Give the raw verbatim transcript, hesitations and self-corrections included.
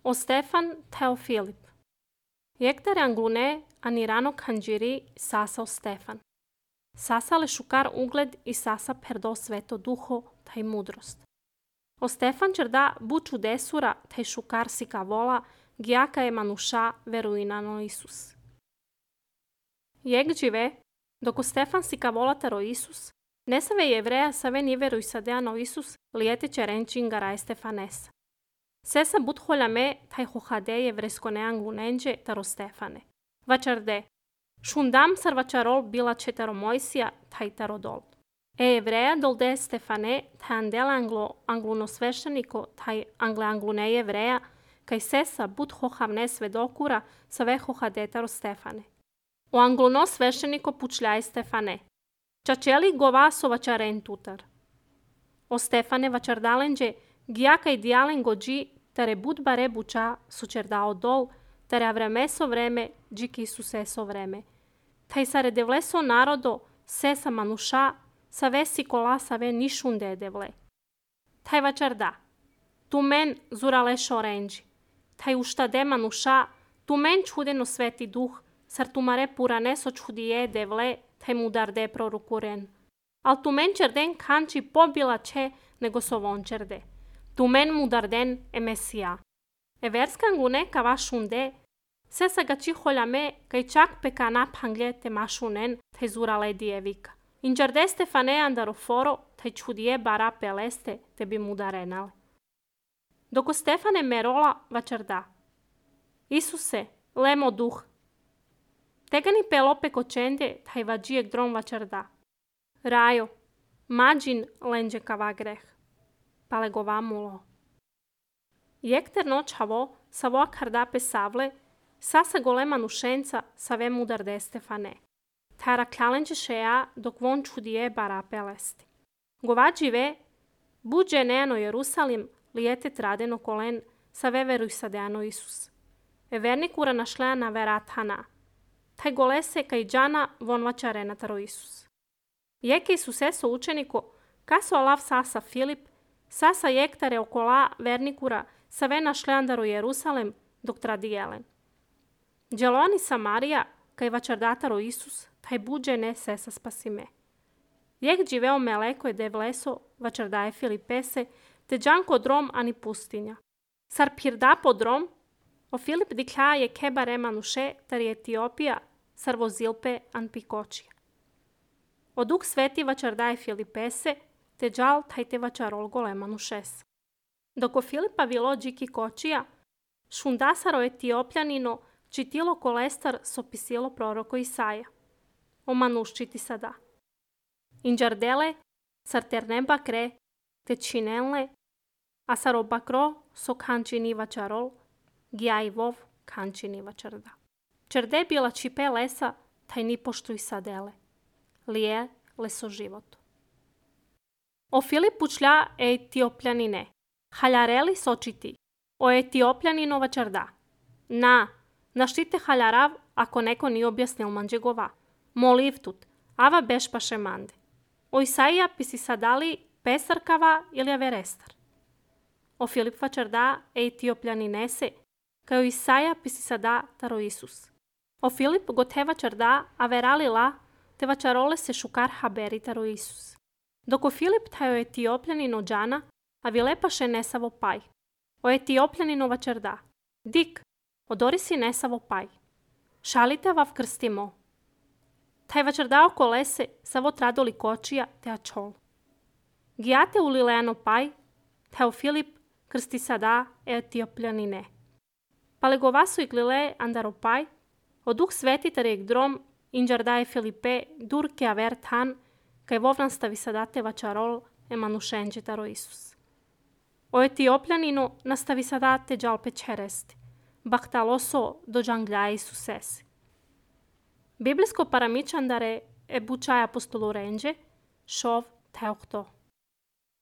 O Stefan teo Filip. Iectare anglune anirano canđiri sasa o Stefan. Sasa le šukar ugled i sasa perdo sveto duho taj mudrost. O Stefan čerda bu čudesura taj šukar si kavola giaka je manuša veruinano Isus. Jek žive, dok o Stefan si kavola taro Isus, ne save jevreja save ni veruj sadeano Isus lijete čerenčin garaj Stefanesa. Sesa but holjame taj hohade jevresko anglunenđe taro Stefane. Vačarde, šundam sar vačarol bila četaro Mojsija taj taro dol. E jevreja dolde Stefane taj andela anglo angluno svešteniko taj angle anglune jevreja kaj sesa but hohavne svedokura save hohade taro Stefane. O angluno svešteniko pučljaj Stefane. Čačeli govaso vačaren tutar. O Stefane vačardalenđe giaka idealen gođi tare bud bare buča sučerdao dol, tare avremeso vreme džiki su seso vreme. Taj sare devleso narodo sesa manuša save sikola save nišunde devle. Taj vačarda. Tu men zurale šorenđi. Taj uštade manuša tu men čudeno sveti duh sar tumare purane so čudije devle taj mudarde prorukuren. Al tu men čerden kanči pobila če nego so von čerde. Tu men mudarden e Mesija. E verskan gune kava šunde, se sa gači holjame kaj čak peka naphanglje te mašunen te zurale dijevika. Inđarde Stefane andaroforo te čudije bara peleste te bi mudarenale. Doko Stefane merola vačarda. Isuse, lemo duh. Tegani pelope kočende taj vađijek drom vačarda. Rajo, mađin lenđe kava greh. Pale govamulo. Jekter noć havo, savo kardape savle, sasa golema nušenca save mudarde Stefane. Tara kjalenđe šeja dok von čudije bara pelesti. Govađive, buđe neano Jerusalim, lijete tradeno kolen, save veruj sadeano Isus. E vernikura našlea na veratana. Taj golese kaj džana von vačarena taro Isus. Jeke Isuseso učeniko, kaso alav sasa Filip, sasa jektare okola vernikura save našleandaro Jerusalem dok tradi jelen. Dželoni Samarija, kaj vačardataro Isus, taj buđe ne sesa spasime. Jek dživeo meleko je devleso, vačardaje Filipese, te džanko drom ani pustinja. Sar pirda po drom, o Filip diklja je kebare manuše, tar je Etiopija, sar vozilpe an pikočija. O duk sveti vačardaje Filipese, te džal taj te vačarol gole manušes. Doko Filipa vilo džiki kočija, šundasaro Etiopljanino, čitilo kolestar sopisilo proroko Isaja. O manuščiti sada. Inđardele, sar ternemba kre, te činenle, a sar obakro so kančini vačarol, gijajvov kančini vačarda. Čerde bila čipe lesa, taj ni poštuj sadele. Lije leso životu. O Filipu člja Etiopljanine. Haljareli sočiti. O Etiopljanino vačarda. Na, naštite haljarav ako neko ni objasnil manđegova. Moliv tut, ava bešpaše mande. O Isaija pisi sadali pesarkava ili averestar. O Filip vačarda Etiopljaninese, kao Isaija pisi sada taro Isus. O Filip gote vačarda averalila te vačarole se šukar haberi taro Isus. Doko Filip tajo Etiopljanino džana, a vilepaše nesavo paj. O Etiopljanino vačarda. Dik, odori si nesavo paj. Šalite vav krstimo. Taj vačardao kolese savo tradoli kočija te ačol. Gijate u lileano paj, teo Filip krsti sada Etiopljanine. Palegovasu i glile andaro paj, o duh sveti tarijek drom inđardaje Filipe durke avert han, kaj vovran stavi sadate vačarol emanušenđe taro Isus. O Etiopljaninu nastavi sadate džalpe čeresti, bahtaloso do džanglja Isusesi. Biblijsko paramičandare e bučaj apostolu renđe, šov teokto.